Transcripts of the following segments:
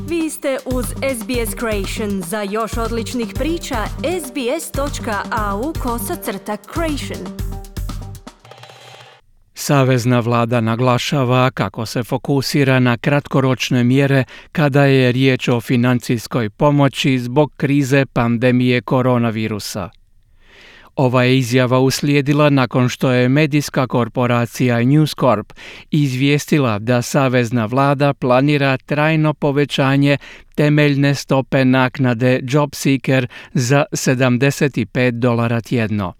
Vi ste uz SBS Creation. Za još odličnih priča, sbs.au/creation. Savezna vlada naglašava kako se fokusira na kratkoročne mjere kada je riječ o financijskoj pomoći zbog krize pandemije koronavirusa. Ova je izjava uslijedila nakon što je medijska korporacija News Corp izvijestila da savezna vlada planira trajno povećanje temeljne stope naknade JobSeeker za $75 tjedno.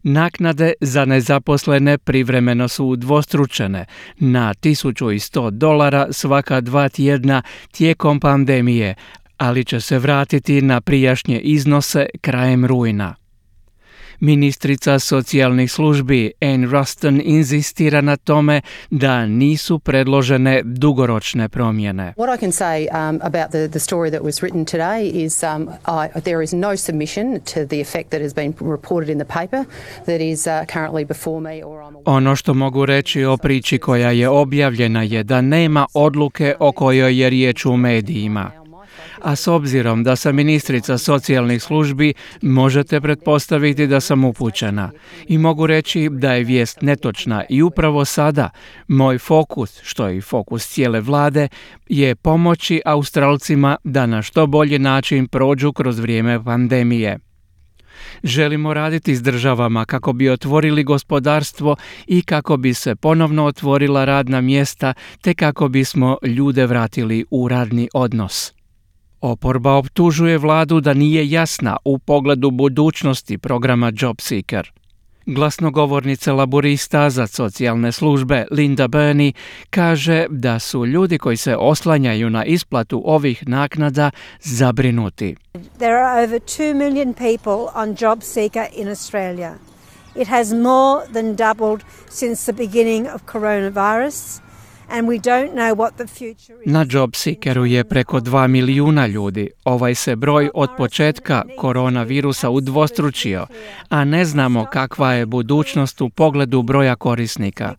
Naknade za nezaposlene privremeno su udvostručene na $1.100 svaka 2 tjedna tijekom pandemije, ali će se vratiti na prijašnje iznose krajem rujna. Ministrica socijalnih službi Anne Ruston inzistira na tome da nisu predložene dugoročne promjene. What I can say about the story that was written today is there is no submission to the effect that has been reported in the paper that is currently before me or I'm aware. Ono što mogu reći o priči koja je objavljena je da nema odluke o kojoj je riječ u medijima. A s obzirom da sam ministrica socijalnih službi, možete pretpostaviti da sam upućena. I mogu reći da je vijest netočna i upravo sada moj fokus, što je i fokus cijele vlade, je pomoći Australcima da na što bolji način prođu kroz vrijeme pandemije. Želimo raditi s državama kako bi otvorili gospodarstvo i kako bi se ponovno otvorila radna mjesta te kako bismo ljude vratili u radni odnos. Oporba optužuje vladu da nije jasna u pogledu budućnosti programa JobSeeker. Glasnogovornica laborista za socijalne službe Linda Burney kaže da su ljudi koji se oslanjaju na isplatu ovih naknada zabrinuti. There are over 2 million people on JobSeeker in Australia. It has more than doubled since the beginning of coronavirus. And we don't know what the future is. Na JobSeekeru je preko 2 milijuna ljudi. Ovaj se broj od početka koronavirusa udvostručio, a ne znamo kakva je budućnost u pogledu broja korisnika.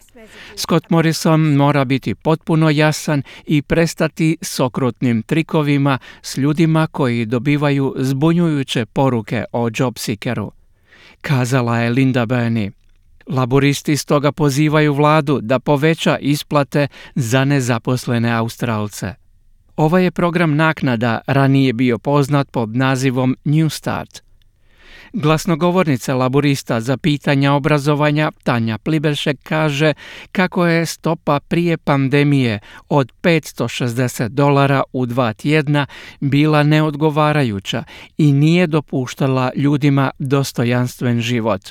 Scott Morrison mora biti potpuno jasan i prestati s okrutnim trikovima s ljudima koji dobivaju zbunjujuće poruke o JobSeekeru, kazala je Linda Burney. Laboristi stoga pozivaju vladu da poveća isplate za nezaposlene Australce. Ovaj je program naknada ranije bio poznat pod nazivom New Start. Glasnogovornica laborista za pitanja obrazovanja Tanja Pliberšek kaže kako je stopa prije pandemije od $560 u 2 tjedna bila neodgovarajuća i nije dopuštala ljudima dostojanstven život.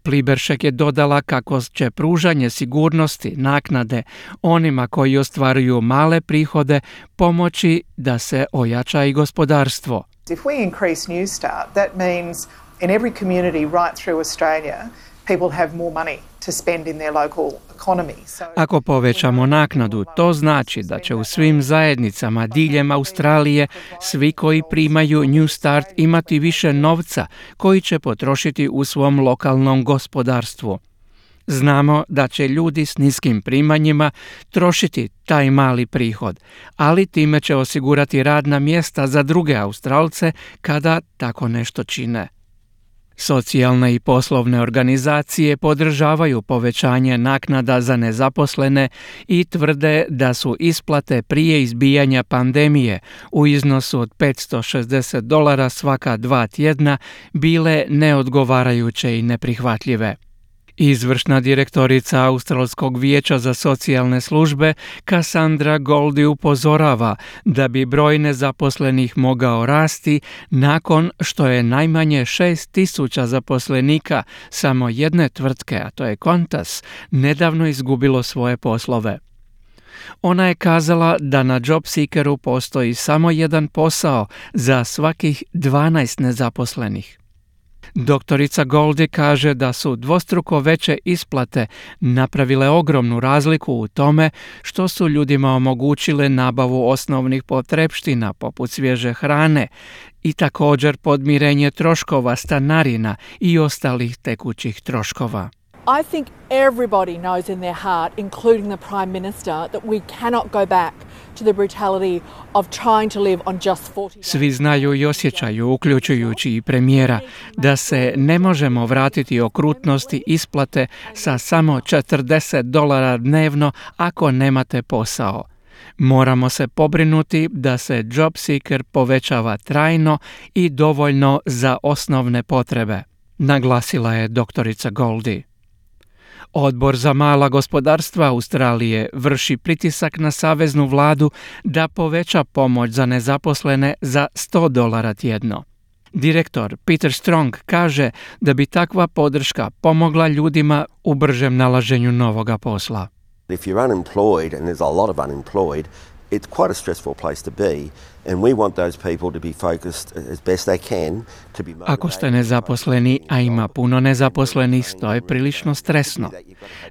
Pliberšek je dodala kako će pružanje sigurnosti naknade onima koji ostvaruju male prihode pomoći da se ojača i gospodarstvo. If we increase New Start, that means in every community right through Australia, people have more money to spend in their local economy. Ako povećamo naknadu, to znači da će u svim zajednicama diljem Australije svi koji primaju New Start imati više novca koji će potrošiti u svom lokalnom gospodarstvu. Znamo da će ljudi s niskim primanjima trošiti taj mali prihod, ali time će osigurati radna mjesta za druge Australce kada tako nešto čine. Socijalne i poslovne organizacije podržavaju povećanje naknada za nezaposlene i tvrde da su isplate prije izbijanja pandemije u iznosu od $560 svaka 2 tjedna bile neodgovarajuće i neprihvatljive. Izvršna direktorica Australskog vijeća za socijalne službe Cassandra Goldie upozorava da bi broj nezaposlenih mogao rasti nakon što je najmanje 6,000 zaposlenika samo jedne tvrtke, a to je Qantas, nedavno izgubilo svoje poslove. Ona je kazala da na JobSeekeru postoji samo jedan posao za svakih 12 nezaposlenih. Doktorica Goldie kaže da su dvostruko veće isplate napravile ogromnu razliku u tome što su ljudima omogućile nabavu osnovnih potrepština poput svježe hrane i također podmirenje troškova stanarina i ostalih tekućih troškova. I think everybody knows in their heart, including the Prime Minister, that we cannot go back to the brutality of trying to live on just 40 days. Svi znaju i osjećaju, uključujući i premijera, da se ne možemo vratiti okrutnosti isplate sa samo $40 dnevno ako nemate posao. Moramo se pobrinuti da se job seeker povećava trajno i dovoljno za osnovne potrebe, naglasila je doktorica Goldie. Odbor za mala gospodarstva Australije vrši pritisak na saveznu vladu da poveća pomoć za nezaposlene za $100 tjedno. Direktor Peter Strong kaže da bi takva podrška pomogla ljudima u bržem nalaženju novoga posla. If you're unemployed, and there's a lot of unemployed, it's quite a stressful place to be, and we want those people to be focused as best they can to be motivated. Ako ste nezaposleni, a ima puno nezaposlenih, to je prilično stresno.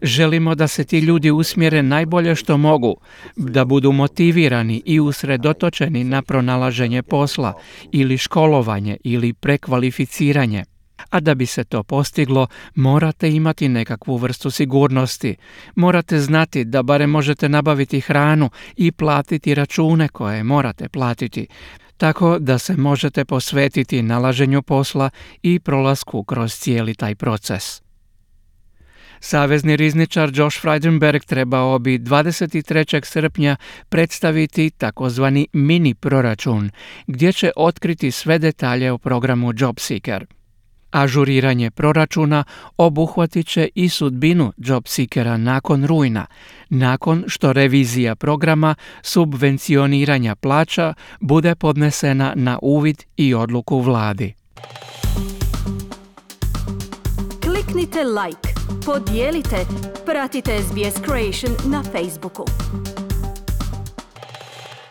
Želimo da se ti ljudi usmjere najbolje što mogu, da budu motivirani i usredotočeni na pronalaženje posla ili školovanje ili prekvalificiranje. A da bi se to postiglo, morate imati nekakvu vrstu sigurnosti. Morate znati da barem možete nabaviti hranu i platiti račune koje morate platiti, tako da se možete posvetiti nalaženju posla i prolasku kroz cijeli taj proces. Savezni rizničar Josh Frydenberg trebao bi 23. srpnja predstaviti takozvani mini proračun, gdje će otkriti sve detalje o programu JobSeeker. Ažuriranje proračuna obuhvatit će i sudbinu JobSeekera nakon rujna, nakon što revizija programa subvencioniranja plaća bude podnesena na uvid i odluku vladi. Kliknite like, podijelite, pratite SBS Creation na Facebooku.